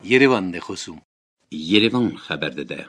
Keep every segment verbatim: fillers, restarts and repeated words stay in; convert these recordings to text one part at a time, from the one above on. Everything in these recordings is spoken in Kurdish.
Yerevan de xosûm. Yerevan xeber dide.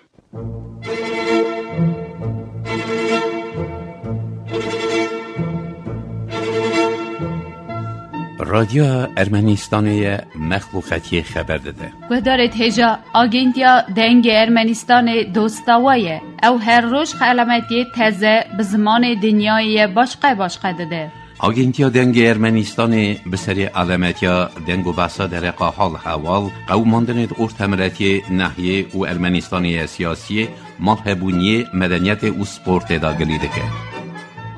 Radyoya Ermenistanê ye, mexluqetiyê xeber dide. Guhdarê hêja, Agentiya Dengê Ermenistanê dosta we ye. Ew her roj xelametiyê teze bi zimanê dinyayê ye başqe başqe dide. Agentiya Dengê Ermenistanê bi serê alemetiya deng û behsa dereqa hal heval, qewimandinê di ortemiletiyê, nehiyê û Ermenistanê ye siyasiyê, malhebûniyê, medeniyetê û sportê de gilî dike.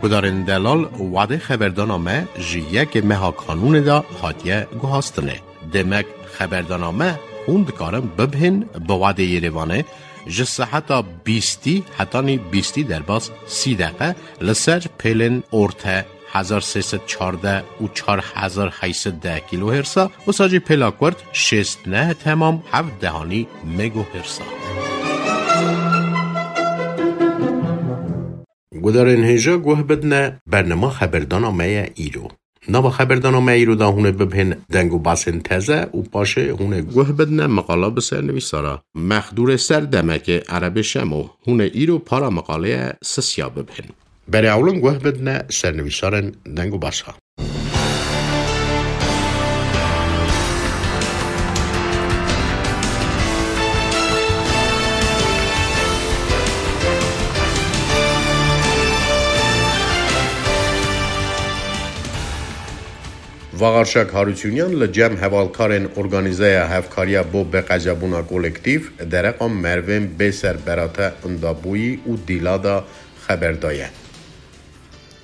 Gudarên delal, wadê xeberdana me ji yekê meha kanûnê de hatiye guhastinê. Demek xeberdana me hûn dikarin bibihên bi wadê Yerevanê ji seheta bîstî hetanî bîstî derbas sî deqe li ser pêlên orte hezar sê sed çardeh û çar hezar heyt sed deh kîlohêrsa, wisa jî pêla kurt şêst neh temam heft dehanî megohêrsa. Gudarên hêja guh bidine, bernama xeberdana me ye îro. Nava xeberdana me îro de hûn ê bibihên deng û basên teze û paşê hûn ê guh bidine meqala bi sernivîsara Mexdûrê Serdemekê Erebê Şemo. Hûn ê îro para meqaleye sisiya bibihên. Berê ewlin guh bidine sernivîsarên deng û basa. Vaxarşak Harûçûnyan li cem hevalkarên Organîzeya Hevkariya bo Bêqezebûna Kolektîf dereqa merivên bê serberate, indabûyî û dîla de xeber daye.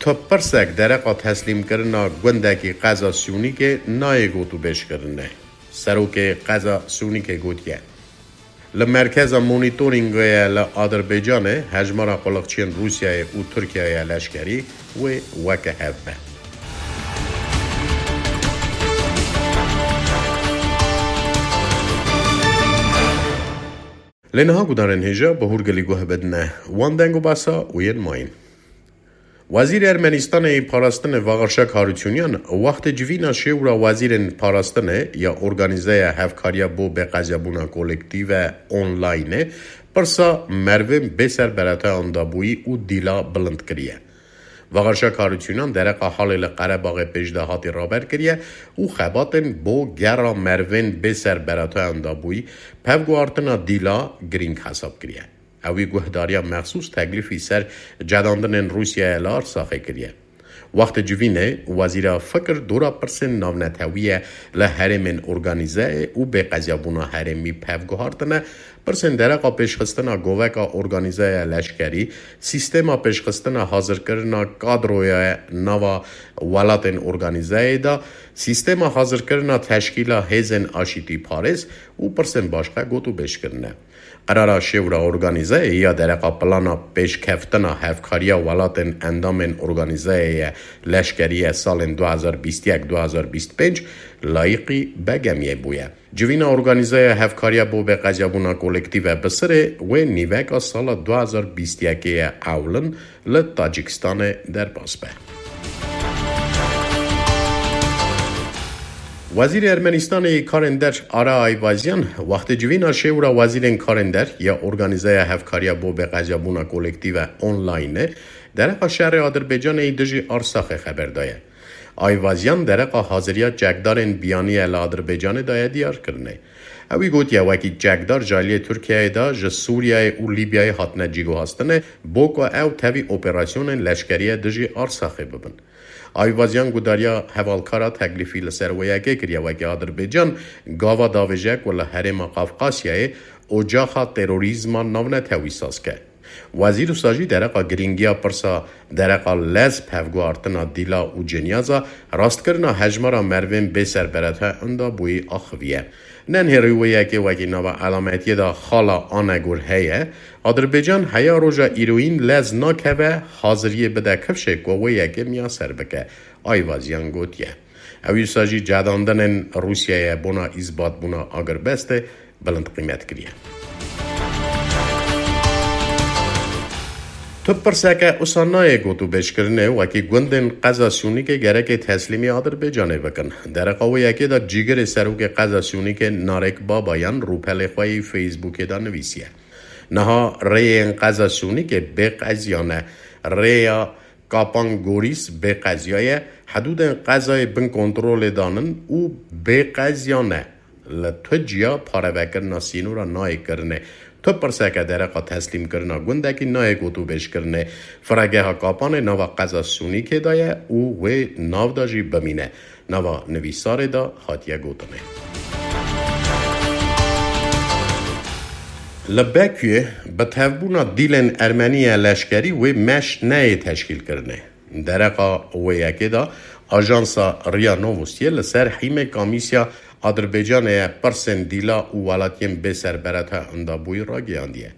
Tu pirsek dereqa teslîmkirina gundekî qeza Sûnîkê nayê gotûbêjkirinê. Serokê qeza Sûnîkê gotiye, li merkeza monîtorîngê ye li Adirbaycanê, hejmara quliqçiyên Rûsyayê û Tirkiyeyê leşkerî wê weke hev be. Lê niha gudarên hêja bi hûrgilî guh bidine wan deng û basa û yên mayîn. Wezîrê Ermenistanê yê Parastinê Vaxarşak Harûçûnyan wextê civîna şêwra wezîrên parastinê ya Organîzeya Hevkariya bo Bêqezebûna Kolektîve Onlaynê pirsa merivên bê serbereteyan dabûyî û dîla bilind kiriye. Vaxarşak Harûçûnyan dereqa halê li Qerebaxê pêşdahatî raber kiriye û xebatên bo gera merivên bê serbereteyan dabûyî pevguhartina dîla girîng hesab kiriye. Ewî guhdariya mexsûs teklîfî ser cedandinên Rûsyayê li Arsaxê kiriye. Wextê civînê, wezîra fikir dora pirsên navnetewî ye li herêmên organîzeyê û bêqeziyabûna herêmî pev guhartine, pirsên dereqa pêşxistina goveka organîzeya leşkerî, sîstema pêşxistina hazirkirina kadroya nava welatên organîzeyê de, sîstema hazirkirina teşkîla hêzên aşîtîparêz û pirsên başqe gotûbêj kirine. Qerara şêwra organîzeyê ya dereqa plana pêşkeftina hevkariya welatên endamên organîzeyê ye leşkerî ye salên du hezar bîst û yek du hezar bîst û pênc layîqî begemiyê bûye. Civîna organîzeya hevkariya bo bêqeziyabûna kolektîve bi sirê wê nîveka sala du hezar bîst û yekê ye ewlin li Tacikistanê derbas be. Wezîrê Ermenistanê yê Karên Der Ara Ayvazyan, wextê civîna şêwra wezîrên karên der ya Organîzeya Hevkariya bo Bêqeziyabûna Kolektîve Online, dereqa şerê Adirbaycanê yî dijî Arsaxê xeber daye. Ayvazyan dereqa haziriya çekdarên biyaniye li Adirbaycanê daye diyarkirinê. Ewî gotiye, wekî çekdar ji aliyê Tirkiyeyê de ji Sûriyeyê û Lîbyayê hatine cîguhastinê, bo ku ew tevî operasyonên leşkerî ye dijî Arsaxê bibin. Ayvazyan gudariya hevalkara teklîfî li ser wê yekê kiriye, wekî Adirbaycan gava davêje ku li herêma Qafqasyayê ocaxa terorîzma navnetewî saz ke. Wezîr wisa jî dereqa girîngiya pirsa dereqa lez, pevguhartina dîla û cinyaza, rastkirina hejmara merivên bê serberete inda bûyî axiviye. Nenhêrî wê yekê wekî nava elametiyê de xala Anegor heye, Adirbaycan heya roja îroyîn lez nakeve haziriyê bide kifşê ku wê yekê miyaser bike, Ayvazyan gotiye. Ew wisa jî cedandinên Rûsyayê bona îsbatbûna agirbestê bilind qîmet kiriye. Tu pirseke usa nayê gotûbêjkirinê wekî gundên qeza Sûnîkê gerekê teslîmî Adirbaycanê bikin. Dereqa wê yekê de cîgirê serokê qeza Sûnîkê Narek Babayan rûpelê xwe yê Facebookê de nivîsiye. Niha rêyên qeza Sûnîkê bê qeziya ne. Rêya Kapan Gorîs bê qeziya ye. Hedûdên qezayê bin kontrolê danin û bê qeziya ne. Li tu ciya parevekirina sînora nayê kirinê. Tu pirseke dereqa teslîmkirina gundekî nayê gotûbêjkirinê. Firegeha Kapanê nava qeza Sûnîkê de ye û wê nav de jî bimîne. Nava nivîsarê de hatiye gotinê. Li Bekuyê bi tevbûna dîlên ermenî ya leşkerî wê meş neyê teşkîlkirinê. Dereqa wê yekê de ajansa Ria Novostiye li ser hîmê kamîsya Adirbaycanê ye pirsên dîla û welatiyên bêserbereta endabûyî ragihandiye.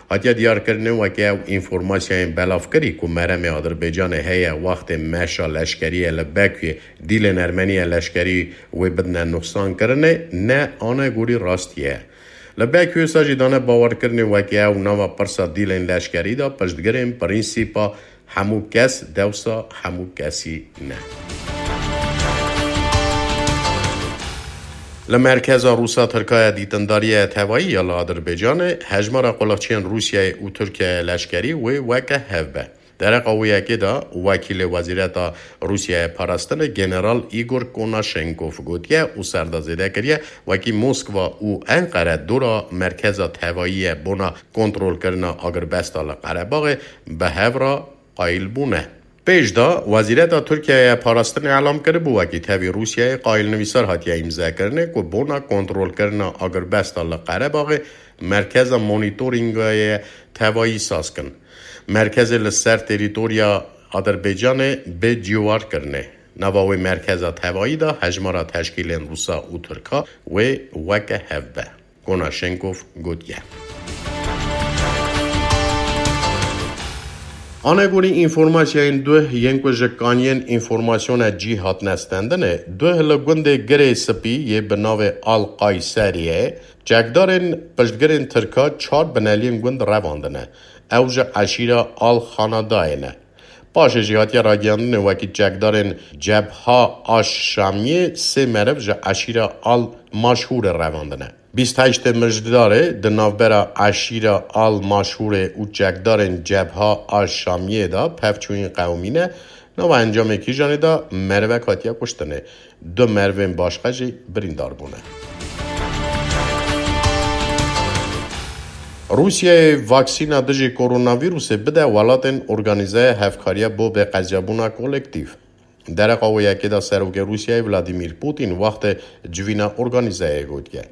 Hatiye diyarkirinê weke ew înformasyayên belavkirî ku meremê Adirbaycanê heye wextê meşa leşkerî ye li Bekuyê dîlên ermenî ya leşkerî wê bidine nuxsankirinê ne anegorî rastî ye. Li Bekuyê sa jî dane bawerkirinê weke ew nava pirsa dîlên leşkerî de piştgirên prînsîpa hemû kes dewsa hemû kesî ne. Li merkeza Rûsa Tirkaya dîtindariya tevayî ya li Adirbaycanê hejmara quliqçiyên Rûsyayê û Tirkiyeyê leşkerî wê weke hev be. Dereqa wê yekê de wekîlê Wezîreta Rûsyayê Parastinê General Igor Konashenkov gotiye û ser de zêde kiriye, wekî Moskva û Enqere dora merkeza tevayî ye bona kontrolkirina agirbesta li Qerebaxê bi hev re qayîl bûne. Pêş de Wezîreta Tirkiyeyê Parastinê elam kiribû, wekî tevî Rûsyayê qayîlnivîsar hatiye îmzekirinê ku bona kontrolkirina agirbesta li Qerebaxê merkeza monîtorîngayê tevayî saz kin. Merkezê li ser terîtoriya Adirbaycanê bê ciwar kirinê. Nava wê merkeza tevayî de hejmara teşkîlên Rûsa û Tirka wê weke hev be. Konashenkov gotiye. Anegorî înformasyayên duh yên ku ji kaniyên înformasyona cî hatine stendinê, duh li gundê Girê Spî yê bi navê Al Qayseriyê çekdarên piştgirên Tirka çar bineliyên gund revandine. Ew ji eşîra Al Xanadayê ne. Paşê jî hatiye ragihandinê wekî çekdarên Cebha Aş Şamiyê sê meriv ji eşîra Al Maşhûrê revandine. Bîst heştê Mijdarê di navbera eşîra Al Maşhûrê û çekdarên Cebha Aş Şamiyê de pevçûyîn qewimîne, nava encamê kîjanê de merivek hatiye kuştinê. Du merivên başqe jî birîndar bûne. Rûsyayê vaksîna dijî koronavîrusê bide welatên organîzaya hevkariya bo bêqeziyabûna kolektîf. Dereqa wê yekê de serokê Rûsyayê Vladimir Putin wextê civîna organîzayê gotiye.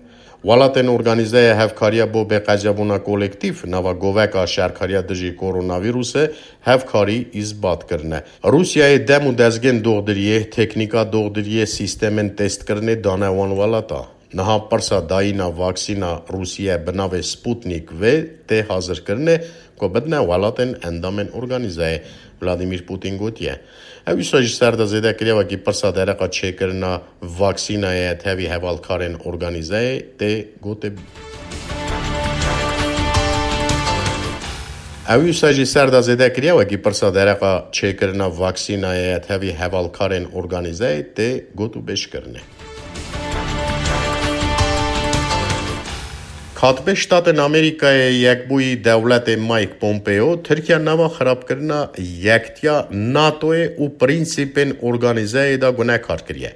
Welatên organîzaya hevkariya bo bêqeziyabûna kolektîf nava goveka şerkariya dijî koronavîrusê hevkarî îsbat kirine. Rûsyayê dem û dezgên doxdiriyê, teknîka doxdiriyê, sîstemên testkirinê dane wan welata. Niha pirsa dayîna vaksîna Rûsiye bi navê Sputnik V tê hazirkirinê ku bidine welatên endamên organîzeyê. Vladimir Putin gotiye. Ew wisa jî ser de zêde kiriye wekî pirsa dereqa çêkirina vaksînayê tevî hevalkarên organîzeyê tê gotê. Ew wisa jî ser de zêde kiriye wekî pirsa dereqa çêkirina vaksînayê tevî hevalkarên organîzeyê tê gotûbêjkirinê. Katibê Ştatên Amerîkayê Yekbûyî Dewletê Mike Pompeo, Tirkiye nava xirabkirina yektiya NATOyê û prensîpên organîzeyê de gunekar kiriye.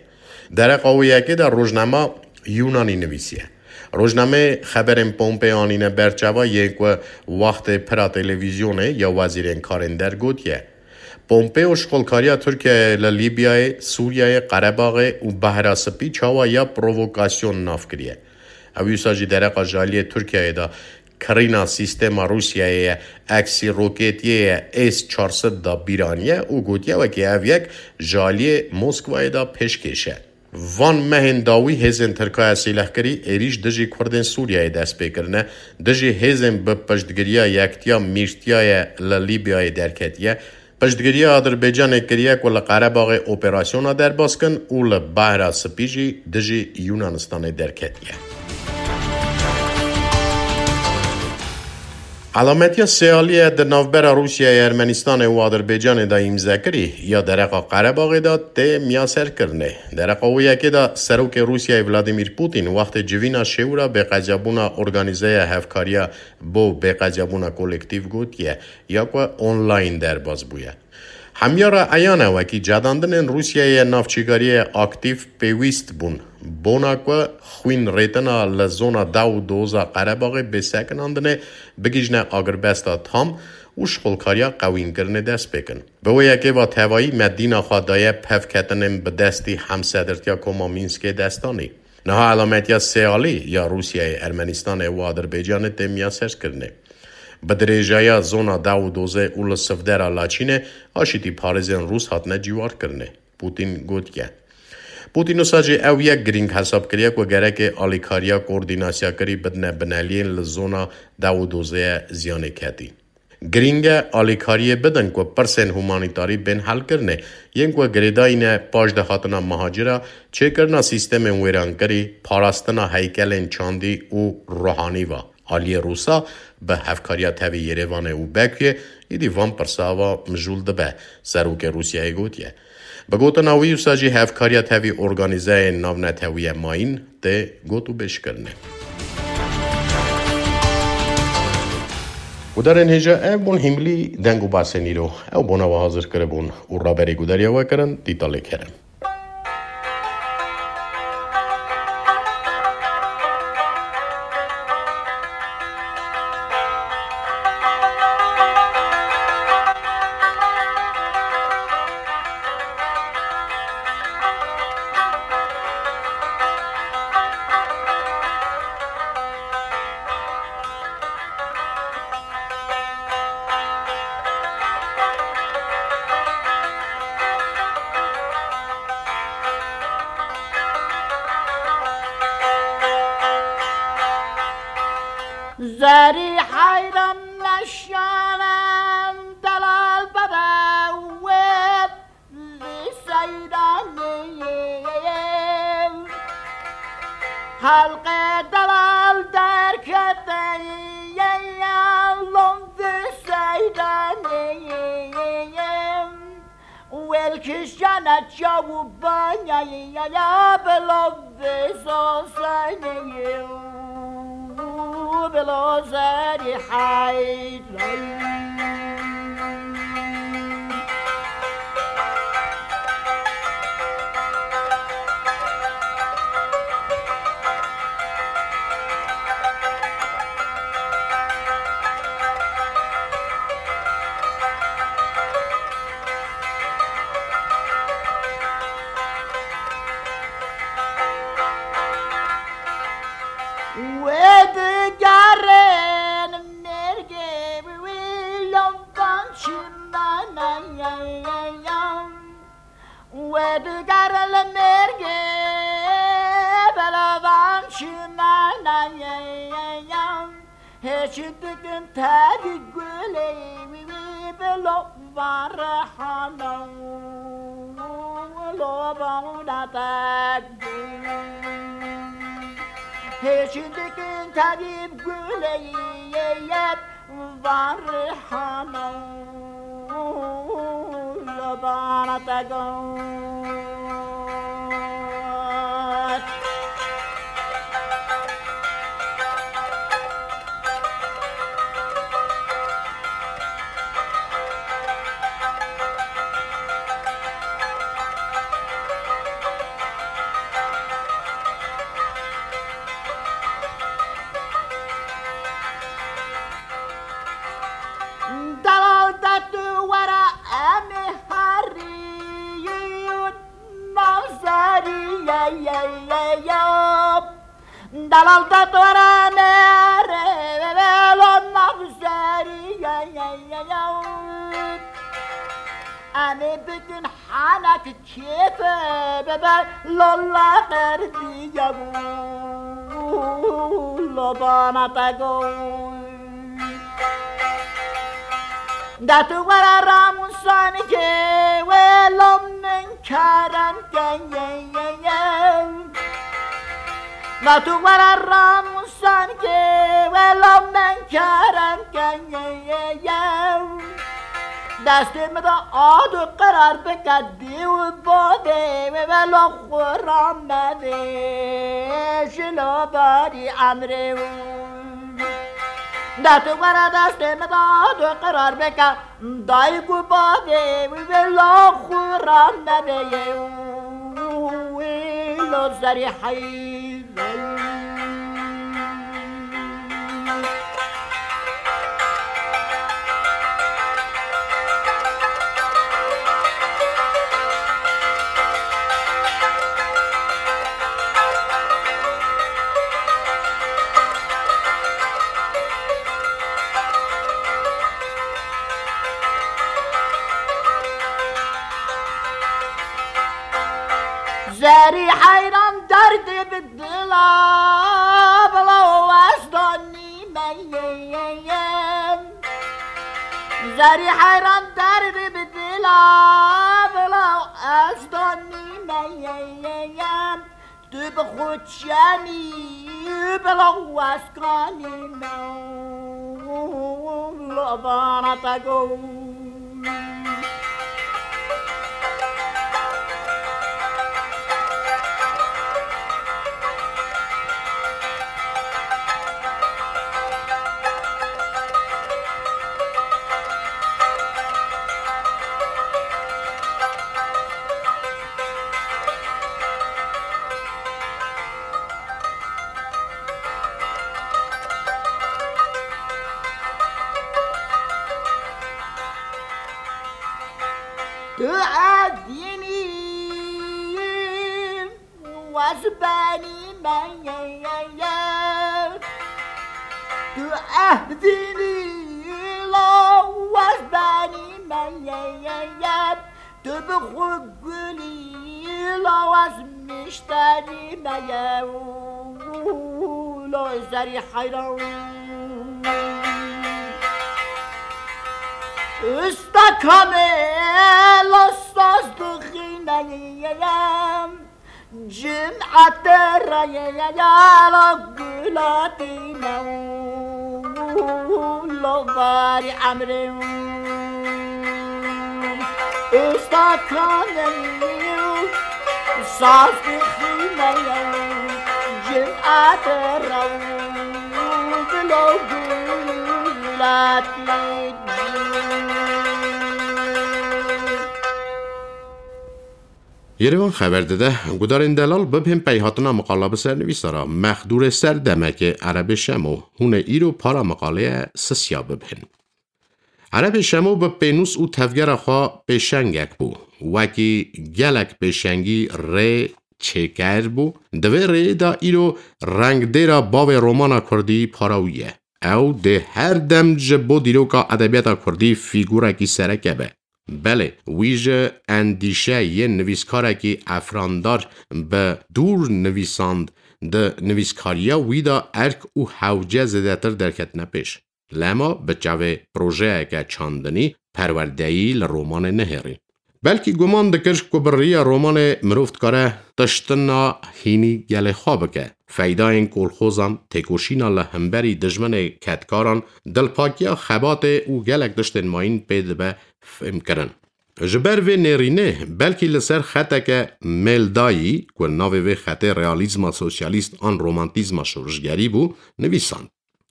Dereqa wê yekê de rojnama Yunanî nivîsiye. Rojnameyê xeberên Pompeo anîne ber çava yên ku wextê pira televîzyonê ya wezîrên karên der gotiye. Pompeo şixulkariya Tirkiyeyê li Lîbyayê, Sûriyeyê, Qerebaxê û Behra Spî çawa ya provokasyon nav kiriye. Ew wisa jî dereqa ji aliyê Tirkiyeyê de kirîna sîstema Rûsyayê ye, eksî roketiyê ye, S çar sed da bîr aniye û gotiye wekî ev yek ji aliyê Moskwayê de pêşkêş e. Van mehên dawî hêzên Tirkaya sîlehkirî êrîş dijî Kurdên Sûriyeyê dest pê kirine, dijî hêzên bi piştgiriya Yektiya Mîrtiyayê li Lîbyayê derketiye, piştgiriya Adirbaycanê kiriye ku li Qerebaxê operasyona derbas kin û li Behra Spî jî dijî Yunanistanê derketiye. Elametiya sêaliyê di navbera Rûsyayê, Ermenistanê û Adirbaycanê de îmzekirî ya dereqa Qerebaxê de tê miyaserkirinê. Dereqa wê yekê de Serokê Rûsyayê Vladimir Putin wextê civîna şêwira bêqeziyabûna Organîzeya Hevkariya bo Bêqeziyabûna Kolektîf gotiye, ya ku online derbas bûye. Hemiya re eyan e, wekî cedandinên Rûsyayê navçîkariyê aktîf pêwîst bûn, bona ku xwîn rêtina li zona dew û doza Qerebaxê bê sekinandinê bigihîjne agirbesta tam û şixulkariya qewînkirinê dest pê kin. Bi wê yekê ve tevayî me dîna xwe daye pevketinên bi destî Hemsedirtiya Koma Mînskê destanî. Niha elametiya sêalî ya Rûsyayê, Ermenistanê û Adirbaycanê tê miyaserkirinê. Bi dirêjaya zona dew û dozê û li sivdera Laçînê aşîtî parêzên Rûs hatine cîwarkirinê. Putin gotiye. Putin wisa jî ew yek girîng hesab kiriye ku gereke alîkariya koordînasyakirî bidine bineliyên li zona dew û dozê ye ziyanê ketî. Girîng e alîkariyê bidin ku pirsên humanîtarî bên helkirinê, yên ku girêdayî ne paşde hatina mihacira, çêkirina sîstemên wêrankirî, parastina heykelên çandî û ruhanî ve. Aliyê Rûsa bi hevkariya tevî Yerêvanê û Bekuyê êdî van pirsa ve mijûl dibe, Serokê Rûsyayê gotiye. Bi gotina wî, wisa jî hevkariya tevî organîzeyên navnetewî ye mayîn tê gotûbêjkirinê. Gudarên hêja, ev bûn hîmilî deng û basên îro. Ew bona we hazir kiribûn û raberî gudariya we kirin Dîtalê Kerem. Zerî heyran meşalan delal bebe wê. Vî seydanê xelqê delal derkete ye, ya lom vî seydanê. Wêl kişane çaw û banya ye, ya bilo vî sosenê, bilo zerî heyran. Wê digerin mêrgê wî lomban çimana. Wê digerin li mêrgê lomban çimana. Hêç dikin tevî gulê wî, wî bi lomban rihana. Lomana te gul. Hêç dikin tevî gulê yê yet van rihana. Lomana te gul. Delal de tu were em ê herî. Navzerî ye, ye, ye, ye. Delal de dore nere, lo navzerî ye, ye, ye, ye. Em ê bikin henek kêfe bebe, lo la qerdî ye. Lo bana te go. De tu were ramusanikê wê lo min kerem ke ye, ye, ye. De tu were ramus Sankê wela min kerem keye. Destê min de ad û qerar bike dê û bavê wê wela xwe ramedê ji lo barî emrê wî. Destê were destê min de ad û qerar bike. Dayik û bavê wî wê la xwe ramedeye wî lo serî heyran. Zerî heyran derdê bi dila bila wesdanî me ye. Zerî heyran derdê bi dila bila wesdanî me ye. Tu bi xwe çemî bila weskanî me. Lavana te go. Tu evînî wez benî me ye. Tu evînî la wez benî me ye. Tu bi xwe gulî la wez mişterî me ye. Lo zerî heyran. Usta kamê la saz dixîne ye. Cim'ete rayê ya la gulatî me. Lo barî emrê. Usta kamê saz dixîne ye. Cim'ete raw bilo gulatî. Yerevan xeber dide, gudarên delal bibên peyhatina miqala bi sernivîsara Mexdûrê Serdemekê Erebê Şemo hûnê îro para miqaleye sisiya bibên. Erebê Şemo bi pênûs û tevgera xwe pêşengek bû. Wekî gelek pêşengî rê çêker bû, di vê rêyê de îro rengdêra bavê romana kurdî para wî ye. Ew dê her dem ji bo dîroka edebiyata kurdî fîgurekî sereke be. Belê, wî ji endîşe yên nivîskarekî efrandar bi dûr nivîsand, di nivîskariya wî de erk û hewce zêdetir derketine pêş. Lema bi çavê projeyeke çandinî perwerdeyî li romanê nehêrî. Belkî guman dikir ku bi riya romanê mirov dikare tiştina hînî gelê xwe bike. Feydayên kolxozan, têkoşîna li hemberî dijminê kedkaran, dilpakiya xebatê û gelek tiştên mayîn pê dibe fêmkirin. Ji ber vê nêrînê belkî li ser xeteke mêldayî, ku navê vê xetê realîzma sosyalîst an romantîzma şorişgerî bû, nivîsand.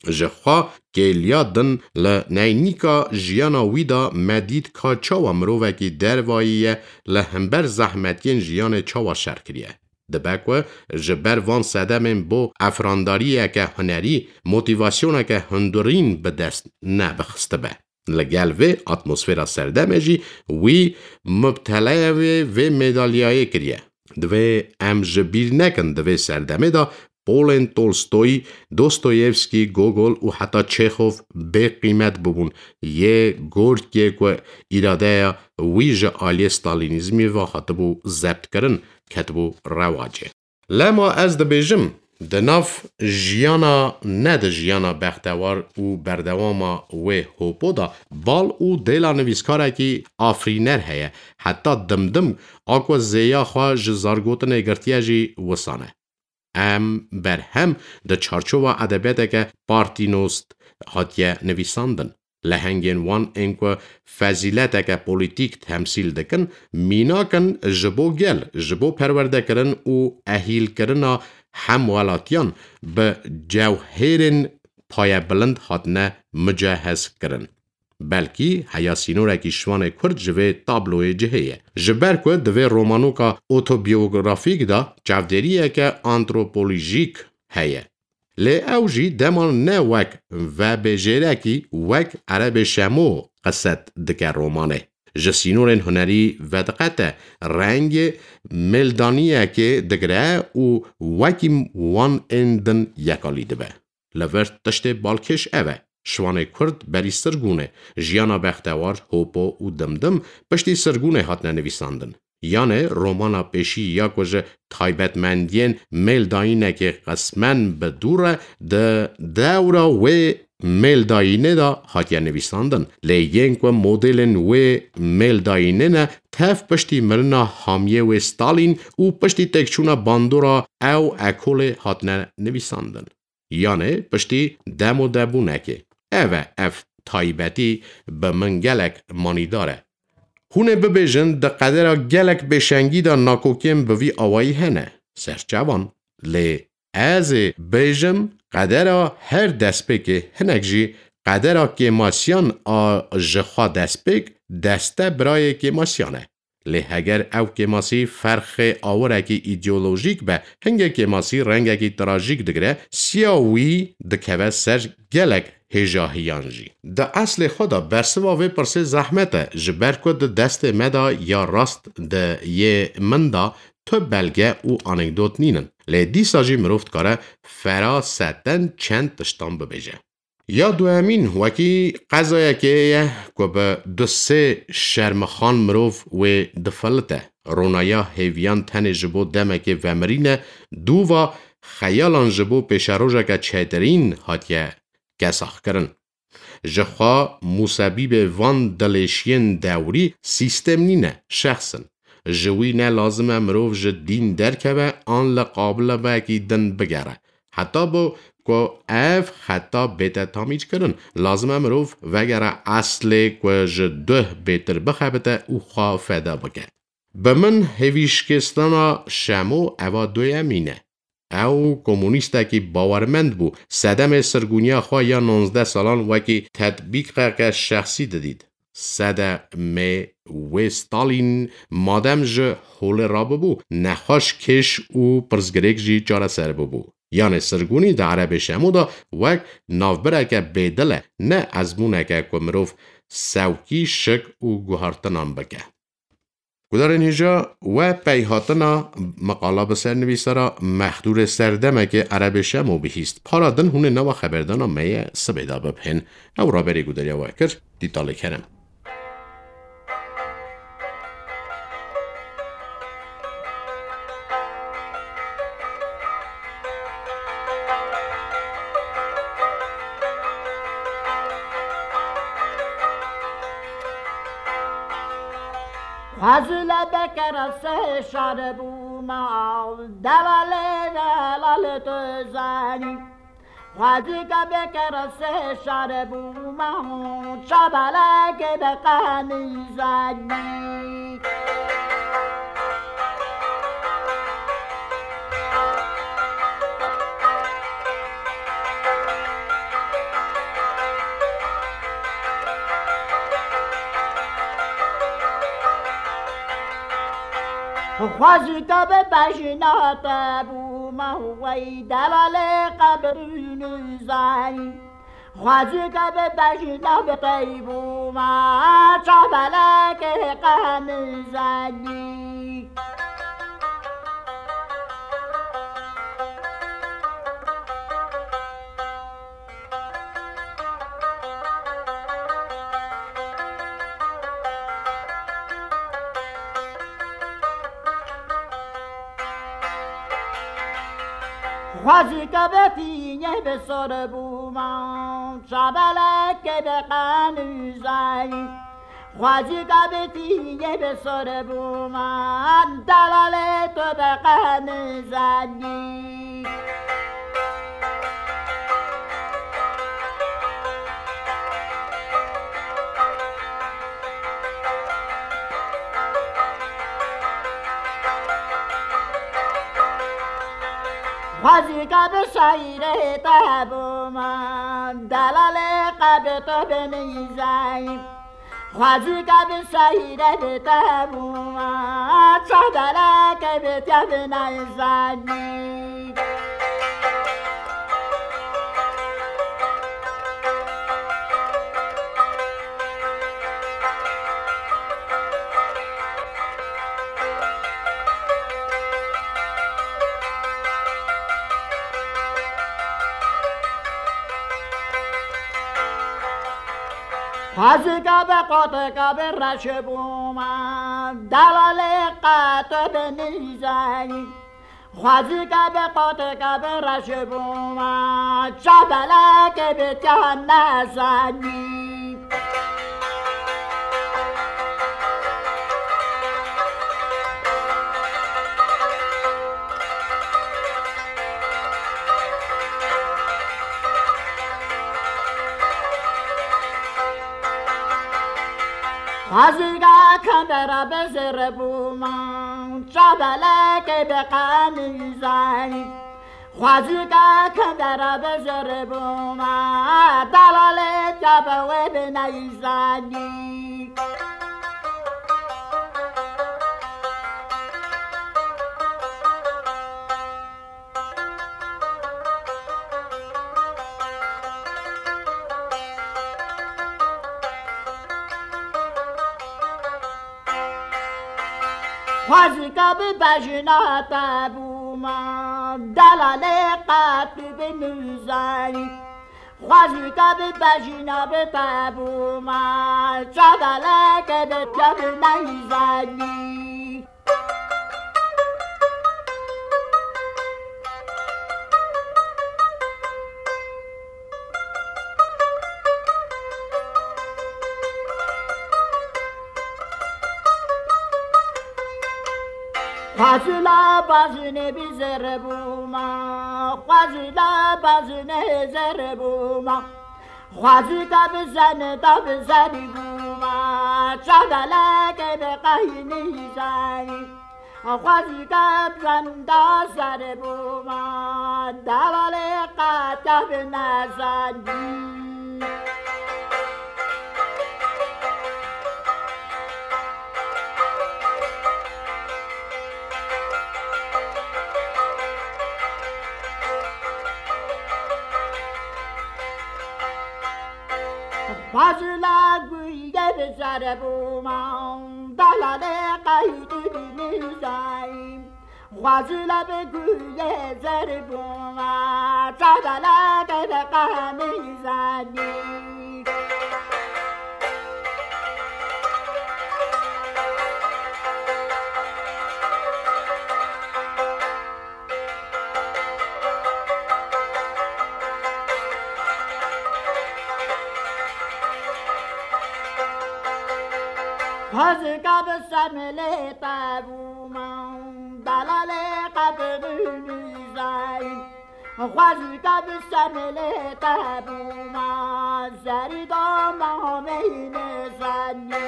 Ji xwe kêliya din li neynîka jiyana wî de me dît ka çawa mirovekî dervayî ye, li hember zehmetiyên jiyanê çawa şer kiriye. Dibe ku ji ber van sedemên bo efrandariyeke hunerî, motîvasyoneke hundirîn bi dest nebixistibe. Li gel vê atmosfera serdemê jî wî mubteleya vê, vê medalyayê kiriye. Divê em ji bîr nekin, di vê serdemê de polên Tolstoy, Dostoyevskî, Gogol û heta Çêxov bê qîmet bûbûn. Yê gorkê ku îradeya wî ji aliyê Stalînîzmî ve hatibû zebtkirin, ketibû rewacê. Lema ez dibêjim, di nav jiyana, ne di jiyana bextewar û berdewama wê Hopo de, bal û dêla nivîskarekî afirîner heye, heta dimdim a ku zêya xwe ji zargotinê girtiye jî wisan e. Em berhem di çarçova edebiyateke partînost hatiye nivîsandin. Lehengên wan ên ku fezîleteke polîtîk temsîl dikin, mînak in ji bo gel, ji bo perwerdekirin û ehîlkirina hemwelatiyan bi cewhêrên payebilind hatine mucehezkirin. Belkî heya sînorekî şivanê Kurd ji vê tabloyê cihê ye. Ji ber ku di vê romanoka otobiyografîk de çavdêriyeke antropolojîk heye. Lê ew jî dema ne wek vebêjêrekî, wek Erebê Şemo qiset dike romanê. Ji sînorên hunerî vediqete, rengê mêldaniyekê digire û wekî wan ên din yekalî dibe. Li vir tiştê balkêş ev e. Şivanê Kurd berî sirgûnê, jiyana bextewar, hopo û dimdim piştî sirgûnê hatine nivîsandin. Yanê romana pêşî ya ku ji taybetmendiyên mêldayînekê qismen bi dûr e, di dewra wê mêldayînê de hatiye nivîsandin. Lê yên ku modêlên wê mêldayînê ne, tev piştî mirina hamiyê wê Stalîn û piştî têkçûna bandora ew ekolê hatine nivîsandin. Yanê piştî demodebûnekê. Ev e, ev taybetî bi min gelek manîdar e. Hûn ê bibêjin, di qedera gelek pêşengî de nakokiyên bi vî awayî hene. Serçavan, lê ez ê bêjim, qedera her destpêkê, hinek jî qedera kêmasiyan a ji xwe destpêk, deste birayê kêmasiyan e. Lê heger ew kêmasî ferxê awirekî îdeolojîk be, hingê kêmasî rengekî trajîk digire, siya wî dikeve ser gelek hêjahiyan jî. Di eslê xwe de bersiva vê pirsê zehmet e, ji ber ku di destê me de ya rast de yê min de tu belge û anekdot nînin. Lê dîsa jî mirov dikare feraseten çend tiştan bibêje. Ya duhemîn wekî qezayekê ye ku bi du sê şermixan mirov wê difilite. Ronaya hêviyan tenê ji bo demekê vemirîne, dûva xeyalan ji bo pêşerojeke çêtirîn hatiye kesaxkirin. Ji xwe musebîbê van dilêşiyên dewrî sîstem nîne, şexs in. Ji wî ne lazim e mirov ji dîn derkeve an li qabilebekî din bigere. Heta bo ku ev xeta bête tamîrkirin, lazim e mirov vegere eslê ku ji duh bêtir bixebite û xwe feda bike. Bi min hêvîşkêstana Şemo eva duyemîn e. Ew komunîstekî bawermend bû. Sedemê sirgûniya xwe ya nonzdeh salan wekî tetbîqeke şexsî didît. Sedemê wê Stalîn madem ji holê rabibû, nexweş kêş û pirsgirêk jî çareser bibû. Yanê sirgûnî di Erebê Şemo de wek navbireke bêdil e, ne ezmûneke ku mirov sewkî şik û guhartinan bike. Gudarên hêja, we peyhatina meqala bi ser nivîsara Mexdûrê Serdemekê Erebê Şemo bihîst. Para din hûn ê nava xeberdana me ye sibê de bibihên. Ew raberê gudariya we kir, dîtalê kerem. Xwezî le bikere sê şar bûma, delalê delal tu zanî. Xwezî ke bikere sê şar bûma, çabalekê bi qenî zanî. Xwezî ke bi bejna te bûma, wey delalê qebirî nizanî. Xwezî ke bi bejna bi te bûma, çabalekê qenî zanî. Xwezî ke bi tînê bi sor bûma, çabalekê bi qenî zanî. Xwezî ke bi tînê bi sor bûma, delalê tu bi qenî zanî. Xwezîka bi seyre te bûma, delalê qebê te binîzayî. Xwezîka bi seyre bi te bûma, çavdaleke bi te binayzanî. Xwezîka bi qoteka bi reş bûma, delalê qate bi nîzayî. Xwezîka bi qoteka bi reş bûma, çavdaleke bi te nezanî. Xwezîka kandera bi zêr bûma, çavdaleke bi qemîzayî. Xwezîka kandera bi zêr bûma, delalê te bi wê bineyzanî. Xwezîka bi bejna te bûma, delalê qet tu binîzayî. Xwezîka bi bejna bi te bûma, çavdaleke bi te bineyzanî. Xwezîla bazinê bi zêr bûma, xwezîla bazinê zêr bûma. Xwezîka bi zenê da bi zerî bûma, çavdaleke bi qeynî zayî. Xwezîka bi zenê da zerî bûma, delalê qete bi nezanî. Xwezîla guyê bi zerî bûma, delalê qeytî binîzayî. Xwezîla bi guyê zerî bûma, çavdaleke bi qemîzanî. Xwezîka bi semelê te bûma, delalê qebirî nîzayî. Xwezîka bi semelê te bûma, zerî da mameyî nêzanî.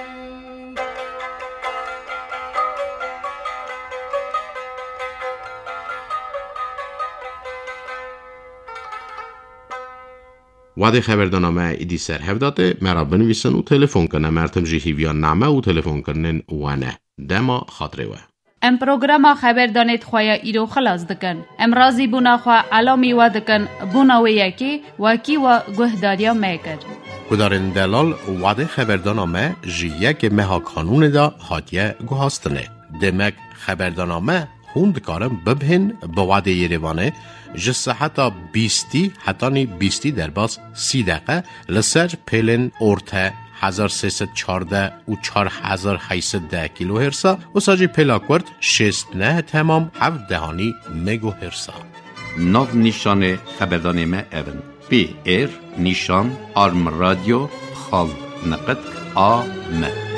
Wadê xeberdana me îdî ser hev datê, me ra binivîsin û telefon kin. Em her tim jî hîviya name û telefonkirinên we ne. Dema xatirê we. Em programa xeberdanê di xwe ya îro xilas dikin. Em razîbûna xwe elamî we dikin, bona wê yekê wekî we guhdariya me kir. Guhdarên delal, wadê xeberdana me ji yekê meha Kanûnê de hatiye guhastinê. Demek xeberdana me hûn dikarin bibihên bi wadê Yerêvanê ji seheta bîstî hetanî bîstî derbas sî deqe li ser pêlên orte hezar sê sed çardeh û çar hezar heyt sed deh kîlohêrsa, wisa jî pêla kurt şêst neh temam heft dehanî megohêrsa. Nav nîşanê xeberdanê me ev in: P R nîşan arm radio xal neqet A M.